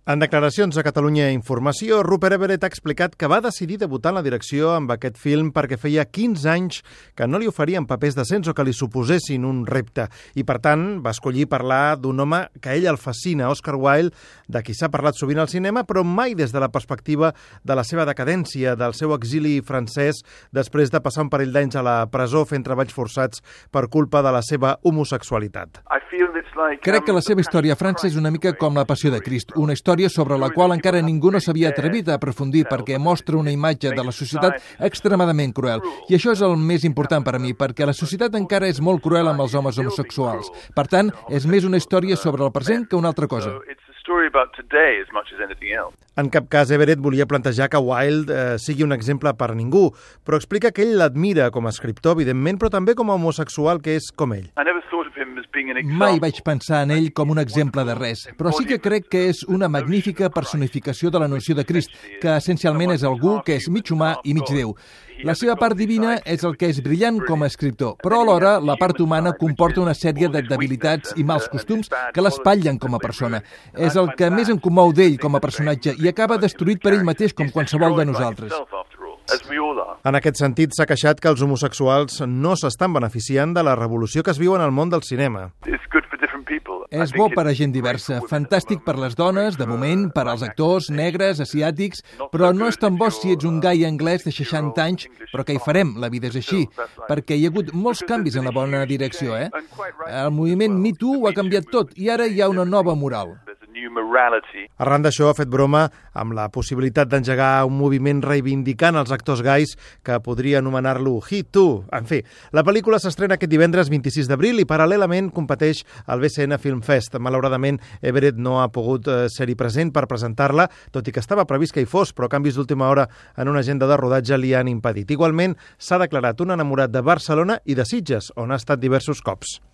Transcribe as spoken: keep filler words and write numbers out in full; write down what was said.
En declaracions a Catalunya Informació, Rupert Everett ha explicat que va decidir debutar en la direcció amb aquest film perquè feia quinze anys que no li oferien papers decents o que li suposessin un repte. I, per tant, va escollir parlar d'un home que a ell el fascina, Oscar Wilde, de qui s'ha parlat sovint al cinema, però mai des de la perspectiva de la seva decadència, del seu exili francès, després de passar un parell d'anys a la presó fent treballs forçats per culpa de la seva homosexualitat. Crec que la seva història a França és una mica com la Passió de Crist, una història sobre la qual encara ningú no s'havia atrevit a aprofundir perquè mostra una imatge de la societat extremadament cruel. I això és el més important per a mi, perquè la societat encara és molt cruel amb els homes homosexuals. Per tant, és més una història sobre el present que una altra cosa. En cap cas Everett volia plantejar que Wilde eh, sigui un exemple per a ningú, però explica que ell l'admira com a escriptor, evidentment, però també com a homosexual que és com ell. Mai vaig pensar en ell com un exemple de res, però sí que crec que és una magnífica personificació de la noció de Crist, que essencialment és algú que és mig humà i mig Déu. La seva part divina és el que és brillant com a escriptor, però alhora la part humana comporta una sèrie de debilitats i mals costums que l'espatllen com a persona. És el que més em comou d'ell com a personatge i acaba destruït per ell mateix com qualsevol de nosaltres. En aquest sentit, s'ha queixat que els homosexuals no s'estan beneficiant de la revolució que es viu en el món del cinema. És bo per a gent diversa, fantàstic per les dones, de moment, per als actors negres, asiàtics, però no és tan bo si ets un gai anglès de seixanta anys, però què hi farem? La vida és així, perquè hi ha hagut molts canvis en la bona direcció, eh? El moviment Me Too ho ha canviat tot i ara hi ha una nova moral. Arran d'això ha fet broma amb la possibilitat d'engegar un moviment reivindicant els actors gais que podria anomenar-lo He Too. En fi, la pel·lícula s'estrena aquest divendres vint-i-sis d'abril i paral·lelament competeix al B C N Film Fest. Malauradament, Everett no ha pogut eh, ser-hi present per presentar-la, tot i que estava previst que hi fos, però canvis d'última hora en una agenda de rodatge li han impedit. Igualment, s'ha declarat un enamorat de Barcelona i de Sitges, on ha estat diversos cops.